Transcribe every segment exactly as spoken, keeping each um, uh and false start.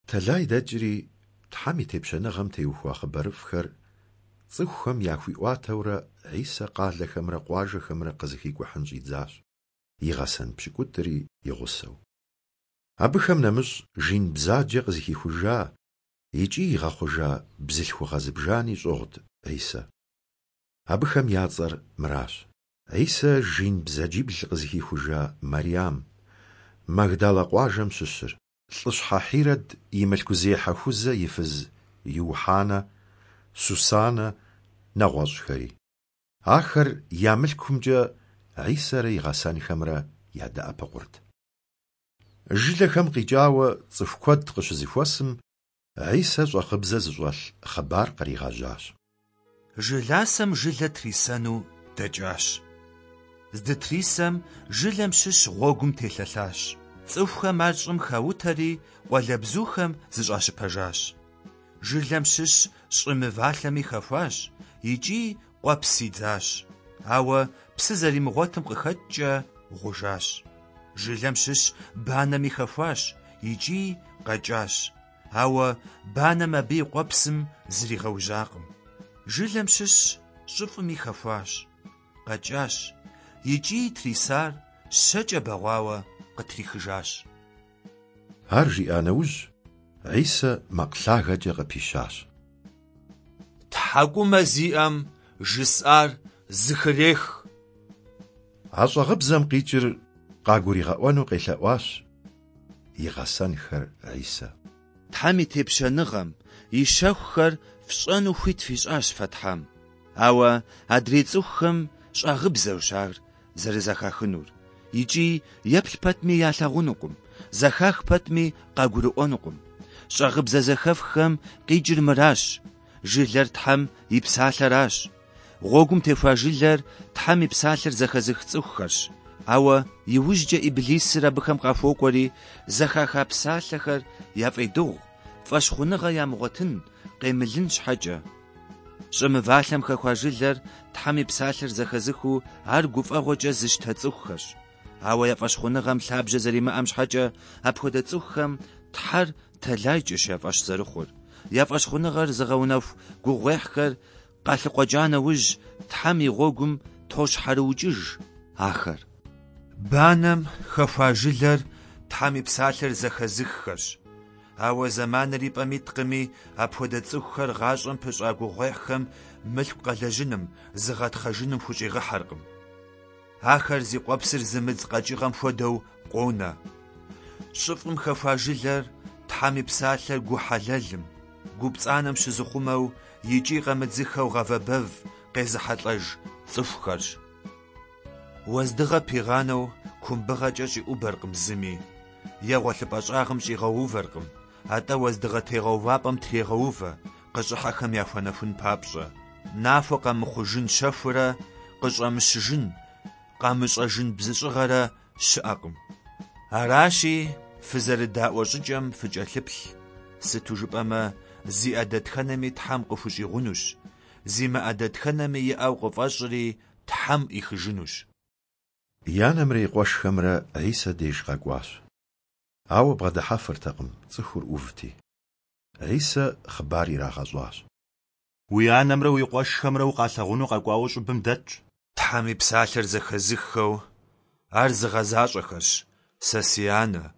Тэлай дэкӀри, Тхьэм и Тепщэныгъэм теухуа хъыбарыфӀхэр цӀыхухэм яхуиӀуатэурэ, Хьисэ къалэхэмрэ къуажэхэмрэ къызэхикӀухьын щӀидзащ, и гъэсэн пщыкӀутӀри и гъусэу. Абыхэм нэмыщӀ жин бзаджэ къызыхихужа икӀи игъэхъужа бзылъхугъэ зыбжани щӀыгъут Хьисэ. Абыхэм я цӀэр мыращ: Хьисэ жин бзаджибл къызыхихужа Мэрям, Магдалэ къуажэм щыщыр, лӀыщхьэ Хьирэд и мылъкузехьэ Хузэ и фыз Иухьанэ, Сусанэ, нэгъуэщӀхэри. Ахэр я мылъкумкӀэ Хьисэрэ и гъэсэнхэмрэ ядэӀэпыкъурт. Жылэхэм къикӀауэ цӀыху куэд къыщызэхуэсым, Хьисэ щӀагъыбзэ зыщӀэлъ хъыбар къригъэжьащ. Жыласэм жылэ трисэну дэкӀащ. Здытрисэм жылэм щыщ гъуэгум телъэлъащ. ЦӀыхухэм ар щӀым хаутэри, къуалэбзухэм зыщӀащыпэжащ. Жылэм щыщ щӀы мывалъэми хэхуащ икӀи къуэпс идзащ, ауэ псы зэримыгъуэтым къыхэкӀкӀэ гъужащ. Жылэм щыщ банэми хэхуащ икӀи къэкӀащ, ауэ банэм абы и къуэпсым зригъэужьакъым. Жылэм щыщ щӀыфӀми хэхуащ, къэкӀащ икӀи трисар щэкӀэ бэгъуауэ къытрихыжащ. Ар жиӀа нэужь, Хьисэ макъ лъагэкӀэ къыпищащ. ТхьэкӀумэ зиӀэм жысӀар зыхырех. А щӀагъыбзэм къикӀыр къагуригъэӀуэну къелъэӀуащ и гъэсэнхэр Хьисэ. Тхьэм и тепщэныгъэм и щэхухэр фщӀэну хуит фищӀащ фэ Тхьэм, ауэ адрей цӀыхухэм щӀагъыбзэущ ар зэрызэхахынур, икӀи еплъ пэтми ялъагъунукъым, зэхах пэтми къагурыӀуэнукъым. ЩӀагъыбзэ зэхэфххэм къикӀыр мыращ: жылэр Тхьэм и псалъэращ. Гъуэгум техуа жылэр Тхьэм и псалъэр зэхэзых цӀыхухэрщ, ауэ иужькӀэ Иблисыр абыхэм къахуокӀуэри, зэхаха псалъэхэр яфӀедыгъу, фӀэщхъуныгъэ ямыгъуэтын, къемылын щхьэкӀэ. ЩӀы мывалъэм хэхуа жылэр Тхьэм и псалъэр зэхэзыхыу ар гуфӀэгъуэкӀэ зыщтэ цӀыхухэрщ. Ауэ я фӀэщхъуныгъэм лъабжьэ зэримыӀэм щхьэкӀэ апхуэдэ цӀыхухэм Тхьэр тэлайкӀэщ я фӀэщ зэрыхъур. Я фӀэщхъуныгъэр зыгъэунэху гугъуехьхэр къалъыкъуэкӀа нэужь, Тхьэм и гъуэгум тощхьэрыукӀыж ахэр. Банэм хэхуа жылэр Тхьэм и псалъэр зэхэзыххэрщ. Ауэ зэманыр и пӀэм иткъыми, апхуэдэ цӀыхухэр гъащӀэм пыщӀа гугъуехьхэм мылъку къэлэжьыным, зыгъэтхъэжыным хущӀигъэхьэркъым. Ахэр зи къуэпсыр зымыдз къэкӀыгъэм хуэдэу къонэ. ЩӀыфӀым хэхуа жылэр Тхьэм и псалъэр гу хьэлэлым, гу пцӀанэм щызыхъумэу икӀи къэмыдзыхэу гъавэ бэв къезыхьэлӀэж цӀыхухэрщ. Уэздыгъэ пигъанэу кумбыгъэкӀэ щӀиӀубэркъым зыми, е гъуэлъыпӀэ щӀагъым щӀигъэувэркъым, атӀэ уэздыгъэ тегъэувапӀэм трегъэувэ, къыщӀыхьэхэм яхуэнэхун папщӀэ. Нахуэ къэмыхъужын щэхурэ къыщӀэмыщыжын, къамыщӀэжын бзыщӀыгъэрэ щыӀэкъым. Аращи, фызэрыдаӀуэ щӀыкӀэм фыкӀэлъыплъ, сыту жыпӀэмэ, зиӀэ дэтхэнэми Тхьэм къыхущӀигъунущ, зимыӀэ дэтхэнэми иӀэу къыфӀэщӀри Тхьэм Ӏихыжынущ. И анэмрэ и къуэшхэмрэ Хьисэ деж къэкӀуащ. Ауэ бгъэдыхьэфыртэкъым, цӀыхур Ӏувти. Хьисэ хъыбар ирагъэщӀащ. Уи анэмрэ уи къуэшхэмрэ укъалъагъуну къэкӀуауэ щӀыбым дэтщ. Тхьэм и псалъэр зэхэзыххэу ар зыгъэзащӀэхэрщ сэ си анэ,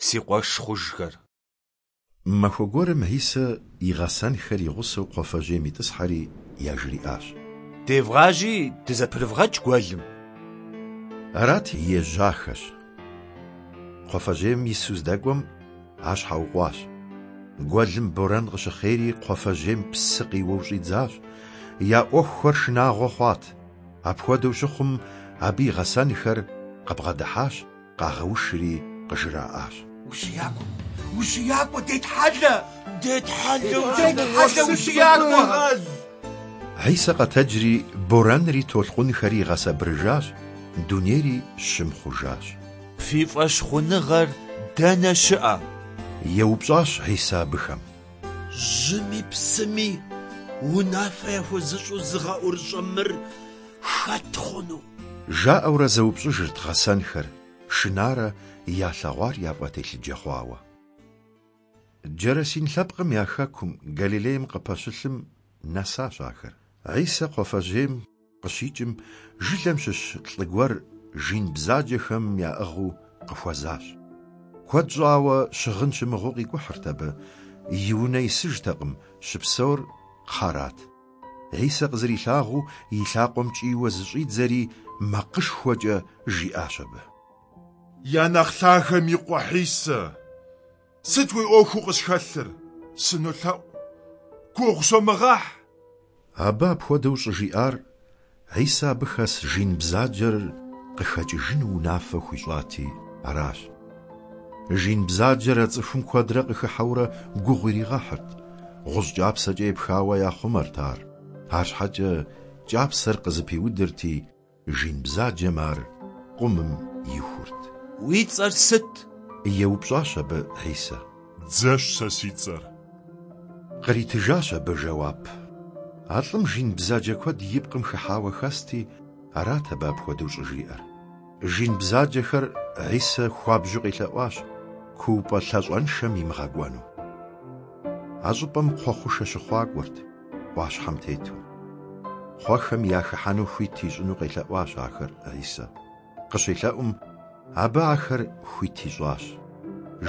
си къуэш хъужхэр. Махуэ гуэрым Хьисэ и гъэсэнхэр и гъусэу кхъуафэжьейм итӀысхьэри яжриӀащ: Девгъажьи дызэпрывгъэкӀ гуэлым. Арати, ежьахэщ. Кхъуафэжьейм ису здэкӀуэм, ар щхьэукъуащ. Гуэлым борэн къыщыхъейри кхъуафэжьейм псы къиуэу щӀидзащ. Я Ӏуэхухэр шынагъуэ хъуат. Апхуэдэу щыхъум, абы и гъэсэнхэр къыбгъэдыхьащ, къагъэушри къыжраӀащ: УщиякӀуэ! УщиякӀуэ, детхьэлэ! Детхьэлэ, детхьэлэ, ущиякӀуэ! Хьисэ къэтэджри борэнри толъкъунхэри игъэсэбырыжащ, дунейри щым хъужащ. Фи фӀэщхъуныгъэр дэнэ щыӀэ? ЕупщӀащ Хьисэ абыхэм. Жьыми псыми унафэ яхуэзыщӀу зыгъэӀурыщӀэ мыр хэт хъуну? ЖаӀэурэ зэупщӀыжырт гъэсэнхэр, шынарэ ялъэгъуар яфӀэтелъыджэ хъуауэ. Джэрэсин лъэпкъым я хэкум, Галилейм къыпэщылъым нэсащ ахэр. Хьисэ кхъуафэжьейм къыщикӏым, жылэм щыщ лӏы гуэр жин бзаджэхэм яӏыгъыу къыхуэзащ. Куэд щӏауэ щыгъын щымыгъыу къикӏухьырт абы, и унэ исыжтэкъым, щыпсэур кхъэрат. Хьисэ къызэрилъагъуу и лъакъуэм кӏийуэ зыщӏидзэри макъышхуэкӏэ жиӏащ абы. Я нэхъ лъагэм и къуэ Хьисэ, сыт уи ӏуэхуу къысхэлъыр? Сынолъэӏу, гугъу сомыгъэхь! Абы апхуэдэу щӏыжиӏар Хьисэ абы хэс жин бзаджэр къыхэкӏыжыну унафэ хуищӏати аращ. Жин бзаджэр а цӏыхум куэдрэ къыхыхьэурэ гугъу иригъэхьырт, гъущӏ кӏапсэкӏэ епхауэ яхъумэрт ар. Арщхьэкӏэ кӏапсэр къызэпиудырти, жин бзаджэм ар къумым ихурт. Уи цӏэр сыт? Еупщӏащ абы Хьисэ. Дзэщ сэ си цӏэр. Къритыжащ абы жэуап. А лӏым жин бзаджэ куэд и пкъым хыхьауэ хэсти, арат абы апхуэдэу щӏыжиӏэр. Жин бзаджэхэр Хьисэ хуабжьу къелъэӏуащ куупӏэ лъащӏэншэм имыгъэкӏуэну. А щӏыпӏэм кхъуэ хъушэ щыхъуакӏуэрт, ӏуащхьэм тету. Кхъуэхэм яхыхьэну хуит ищӏыну къелъэӏуащ ахэр Хьисэ. Къыщелъэӏум, абы ахэр хуит ищӏащ.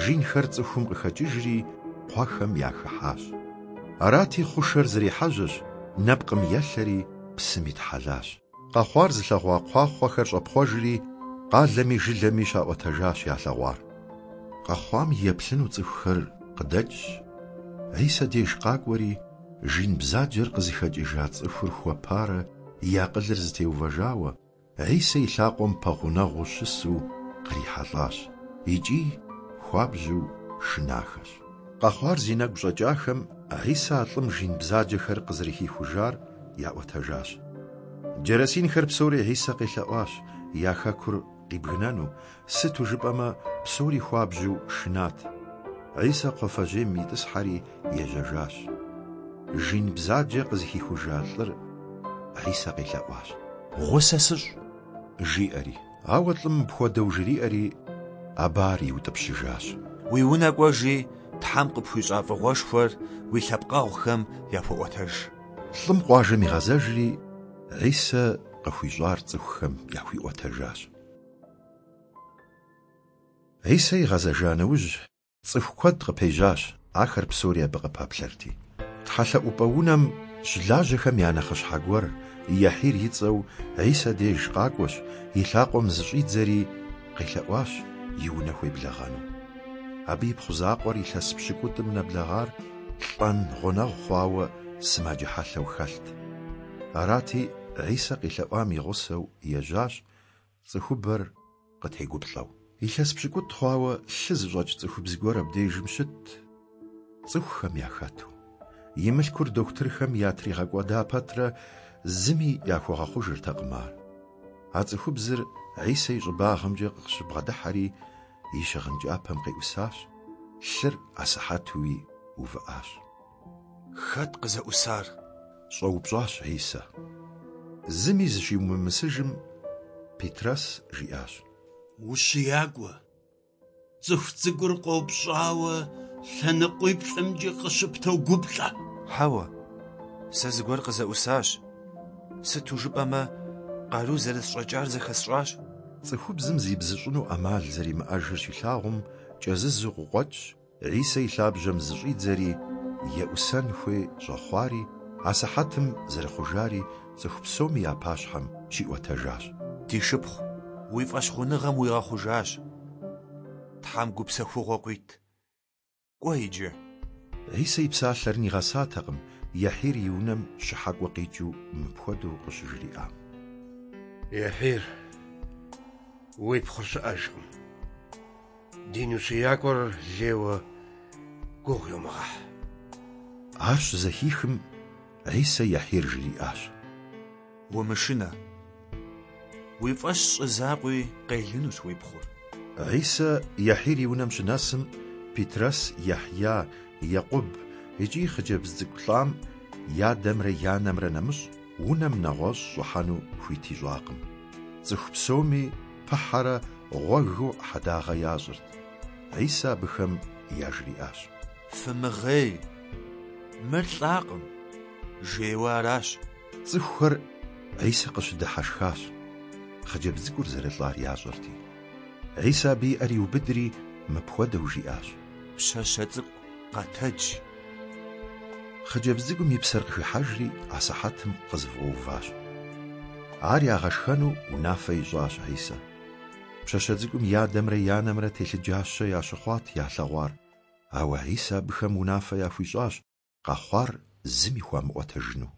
Жинхэр цӏыхум къыхэкӏыжри, кхъуэхэм яхыхьащ. Арати, хъушэр зэрехьэжьэщ, нэпкъым елъэри псым итхьэлащ. Къэхъуар зылъэгъуа кхъуахъуэхэр щӏэпхъуэжри, къалэми жылэми щаӏуэтэжащ ялъэгъуар. Къэхъуам еплъыну цӏыхухэр къыдэкӏщ, Хьисэ деж къакӏуэри, жин бзаджэр къызыхэкӏыжа цӏыхур хуэпарэ и акъылыр зэтеувэжауэ, Хьисэ и лъакъуэм пэгъунэгъуу щысу кърихьэлӏащ икӏи хуабжьу шынахэщ. Къэхъуар зи нэгу щӏэкӏахэм Хьисэ а лӏым жин бзаджэхэр къызэрыхихужар яӏуэтэжащ. Джэрэсинхэр псори Хьисэ къелъэӏуащ я хэкур къибгынэну, сыту жыпӏэмэ псори хуабжьу шынат. Хьисэ кхъуафэжьейм итӏысхьэри ежьэжащ. Жин бзаджэ къызыхихужа лӏыр Хьисэ къелъэӏуащ. Гъусэ сыщӏ, жиӏэри. Ауэ лӏым мыпхуэдэу жриӏэри, абы ар иутӏыпщыжащ. Уи унэ кӏуэжи, Тхьэм къыпхуищӏа фӏыгъуэшхуэр уи лъэпкъэгъухэм яхуэӏуэтэж. Лӏым къуажэм игъэзэжри, Хьисэ къыхуищӏар цӏыхухэм яхуиӏуэтэжащ. Хьисэ игъэзэжа нэужь, цӏыху куэд къыпежьащ, ахэр псори абы къыпэплъэрти. Тхьэлъэӏупӏэ унэм щылажьэхэм я нэхъыщхьэ гуэр, Яхьир и цӏэу, Хьисэ деж къакӏуэщ, и лъакъуэм зыщӏидзэри къелъэӏуащ и унэ хуеблэгъэну. Абы ипхъу закъуэр илъэс пщыкӏутӏым нэблэгъар лӏэн гъунэгъу хъуауэ сымаджэ хьэлъэу хэлът. Арати, Хьисэ къелъэӏуам и гъусэу ежьащ, цӏыхубэр къытегуплӏэу. Илъэс пщыкӏутӏ хъуауэ лъы зыщӏэкӏ цӏыхубз гуэр абдежым щытт, цӏыхухэм яхэту. И мылъкур дохутырхэм ятригъэкӏуэда пэтрэ зыми яхуэгъэхъужыртэкъым ар. А цӏыхубзыр Хьисэ и щӏыбагъымкӏэ къыщыбгъэдыхьэри, и щыгъын кӏапэм къеӏусащ, лъыр асыхьэтуи увыӏащ. Хэт къызэӏусар? Щӏэупщӏащ Хьисэ. Зыми зыщиумымысыжым, Петрэс жиӏащ. Ущиякӏуэ, цӏыху цӏыкӏур къопщӏауэ лъэныкъуиплӏымкӏи къыщыптогуплӏэ. Хьэуэ, сэ зыгуэр къызэӏусащ. Сыту жыпӏэмэ, къару зэрысщӏэкӏар зэхэсщӏащ. Цӏыхубзым зибзыщӏыну ӏэмал зэримыӏэжыр щилъагъум, кӏэзызу къыкъуэкӏщ, Хьисэ и лъабжьэм зыщӏидзэри, еӏусэн хуей щӏэхъуари, асыхьэтым зэрыхъужари цӏыху псоми я пащхьэм щиӏуэтэжащ. Ди шыпхъу, уи фӏэщхъуныгъэм уигъэхъужащ. Тхьэм гупсэхугъуэ къуит. Кӏуэ иджы. Хьисэ и псалъэр нигъэсатэкъым, Яхьир и унэм щыхьэкӏуэ къикӏыу мыпхуэдэу къыщыжриӏам. Яхьир, уи пхъур щыӏэжкъым. Дин ущиякӏуэр лейуэ гугъу йомыгъэхь. Ар щызэхихым, Хьисэ Яхьир жриӏащ. Умышынэ. Уи фӏэщ щӏы закъуи къелынущ уи пхъур. Хьисэ Яхьир и унэм щынэсым, Петрэс, Яхья, Екъуб икӏи хъыджэбз цӏыкӏу лӏам и адэмрэ и анэмрэ нэмыщӏ унэм нэгъуэщӏ щӏыхьэну хуит ищӏакъым. Цӏыху псоми пыхьэрэ гъуэгыу хьэдагъэ ящӏырт. Хьисэ абыхэм яжриӏащ. Фымыгъей, мыр лӏакъым, жейуэ аращ. Цӏыхухэр Хьисэ къыщыдыхьэшхащ, хъыджэбз цӏыкӏур зэрылӏар ящӏэрти. Хьисэ абы и ӏэр иубыдри, мыпхуэдэу жиӏащ. Пщащэ цӏыкӏу, къэтэдж! Хъыджэбз цӏыкӏум и псэр къыхыхьэжри, асыхьэтым къызэфӏэуващ. Ар ягъэшхэну унафэ ищӏащ Хьисэ. Пщащэ цӏыкӏум и адэмрэ и анэмрэ телъыджащэ ящыхъуат ялъэгъуар, ауэ Хьисэ абыхэм унафэ яхуищӏащ къэхъуар зыми хуамыӏуэтэжыну.